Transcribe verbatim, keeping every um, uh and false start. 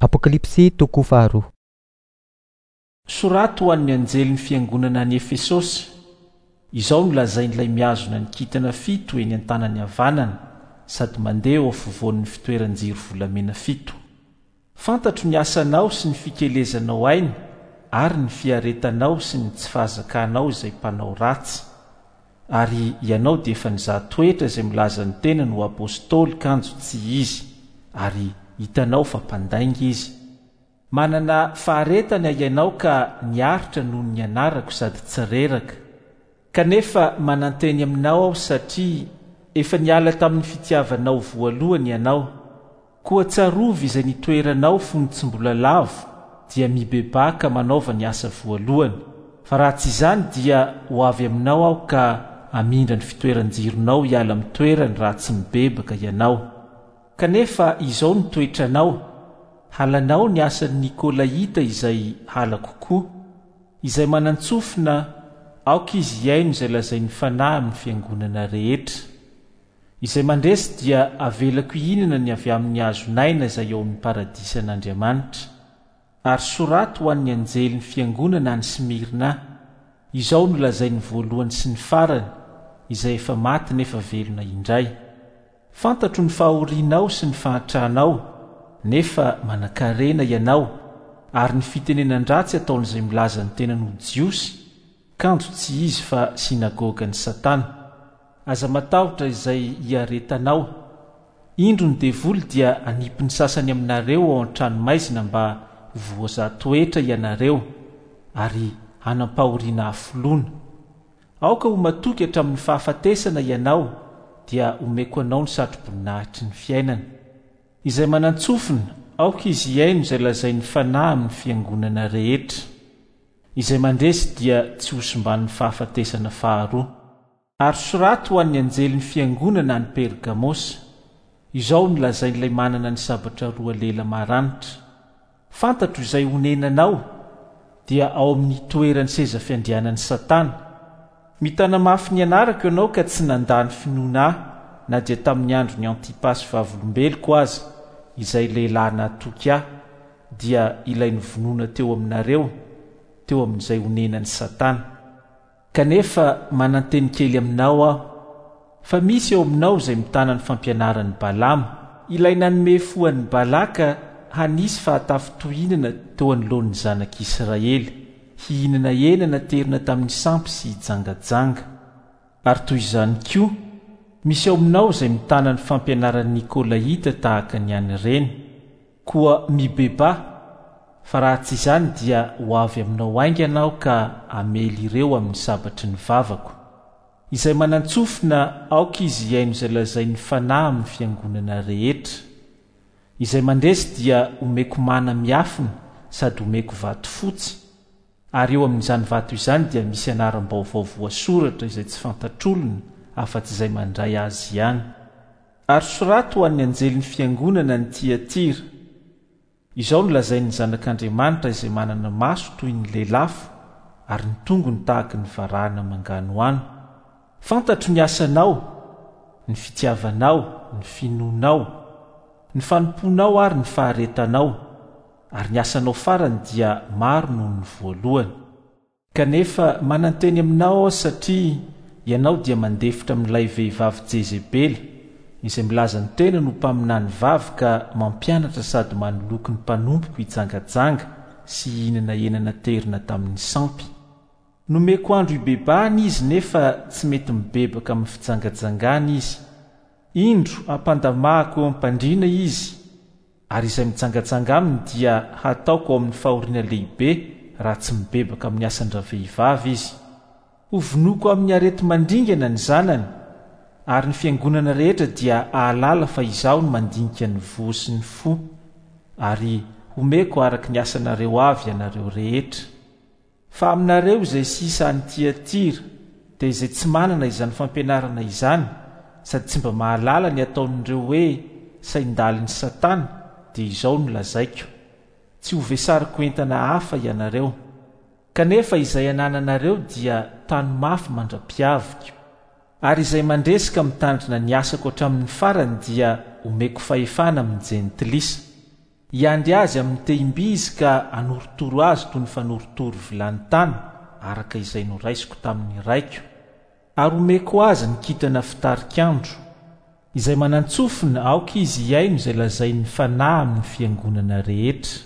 Apokalypsy toko faharoa. Soraty ho an'ny anjelin'ny fiangonana any Efesosy. Izao no lazain'ilay mihazona ny kintana fito eny an-tanany havanana sady mandeha eo afovoan'ny fitoeran-jiro volamena fito. Fantatro ny asanao sy ny fikelezanao aina ary ny fiaretanao sy ny tsy fahazakanao izay mpanao ratsy. Ary ianao dia efa nizaha toetra izay milaza ny tenany ho apostoly kanjo tsy izy, ary hitanao fa mpandainga izy. Manana faharetana ianao ka niaritra noho ny anarako sady tsy reraka. Kanefa mananteny aminao aho satria efa niala tamin'ny fitiavanao voalohany ianao. Koa tsarovy izay nitoeranao fony tsy mbola lavo, dia mibebaha ka manaova ny asa voalohany. Fa raha tsy izany dia ho avy aminao aho ka hamindra ny fitoeran-jironao hiala amin'ny toerany raha tsy mibebaka ianao. Kanefa izao no toetranao, halanao ny asan'ny Nikolaita izay halako koa. Izay manan-tsofina, aoka izy hihaino izay lazain'ny Fanahy amin'ny fiangonana rehetra. Izay mandresy dia avelako hihinana ny avy amin'ny hazon'aina izay ao amin'ny paradisan'Andriamanitra. Ary soraty ho an'ny anjelin'ny fiangonana any Smirna. Izao no lazain'ny voalohany sy ny farany, izay efa maty nefa velona indray. Fantatro ny fahorianao sy ny fahantranao, nefa manankarena ianao, ary ny fitenenan-dratsy ataon'izay milaza ny tenany ho Jiosy, kanjo tsy izy fa synagogan'i Satana. Aza matahotra izay hiaretanao. Indro ny devoly dia hanipy ny sasany aminareo ao an-tranomaizina mba ho voazaha toetra ianareo, ary hanam-pahoriana hafoloana. Aoka ho matoky hatramin'ny fahafatesana ianao, dia omeko anao ny satroboninahitry ny fiainana. Izay manan-tsofina, aoka izy hihaino izay lazain'ny Fanahy amin'ny fiangonana rehetra. Izay mandresy dia tsy hosimban'ny fahafatesana faharoa. Ary soraty ho an'ny anjelin'ny fiangonana any Pergamosa. Izao no lazain'ilay manana ny sabatra roa lela maranitra. Fantatro izay honenanao, dia ao amin'ny toeran'ny seza fiandrianan'i Satana. Mitana mafy ny anarako ianao ka tsy nandà ny finoana ahy na dia tamin'ny andron'ny Antipasy vavolombeloko aza, izay lehilahy nahatoky ahy, dia ilay novonoina teo aminareo, teo amin'izay honenan'i Satana. Kanefa mananteny kely aminao aho, fa misy eo aminao izay mitana ny fampianaran'i Balama, ilay nanome fo an'i Balaka hanisy fahatafitohinana teo anoloan'ny zanak'Israely, hihinana hena naterina tamin'ny sampy sy hijangajanga. Ary toy izany koa, misy ao aminao izay mitana ny fampianaran'i Nikolaita tahaka ny an'ireny. Koa mibebaha, fa raha tsy izany dia ho avy aminao haingana aho ka hamely ireo amin'ny sabatry ny vavako. Izay manan-tsofina, aoka izy hihaino izay lazain'ny Fanahy amin'ny fiangonana rehetra. Izay mandresy dia omeko mana miafina sady omeko vato fotsy, ary eo amin'izany vato izany dia misy anaram-baovao voasoratra izay tsy fantatr'olona afa-tsy izay mandray azy ihany. Ary soraty ho an'ny anjelin'ny fiangonana ny Tiatira. Izao no lazain'ny Zanak'Andriamanitra izay manana maso toy ny lelafo ary ny tongony tahaka ny varahana manganohano. Fantatro ny asanao, ny fitiavanao, ny finoanao, ny fanompoanao ary ny faharetanao, ary ny asanao farany dia maro noho ny voalohany. Kanefa mananteny aminao aho satria ianao dia mandefitra amin'ilay vehivavy Jezebela, izay milaza ny tenany ho mpaminany vavy ka mampianatra sady manoloky ny mpanompoko hijangajanga sy hihinana hena naterina tamin'ny sampy. Nomeko andro hibebahana izy nefa tsy mety mibebaka amin'ny fijangajangana izy. Indro hampandamahako eo am-pandriana izy, ary izay mijangajanga aminy dia hataoko ao amin'ny fahoriana lehibe raha tsy mibebaka amin'ny asan-dravehivavy izy. Hovonoiko amin'ny areti-mandringana ny zanany, ary ny fiangonana rehetra dia hahalala fa izaho no mandinika ny voa sy ny fo, ary homeko araka ny asanareo avy ianareo rehetra. Fa aminareo izay sisa any Tiatira, dia izay tsy manana izany fampianarana izany, sady tsy mba mahalala ny ataon'ireo hoe saindalin'i Satana, dia izao no lazaiko: tsy hovesariko entana hafa ianareo. Kanefa izay anananareo dia tano mafy mandra-piaviko. Ary izay mandresy ka mitandrina ny asako hatramin'ny farany dia omeko fahefana amin'ny jentilisa. Hiandry azy amin'ny tehim-by izy ka hanorotoro azy toy ny fanorotoro vilany tany, araka izay noraisiko tamin'ny Raiko. Ary homeko azy ny kintana fitarikandro. Izay manan-tsofina, aoka izy hihaino izay lazain'ny Fanahy amin'ny fiangonana rehetra.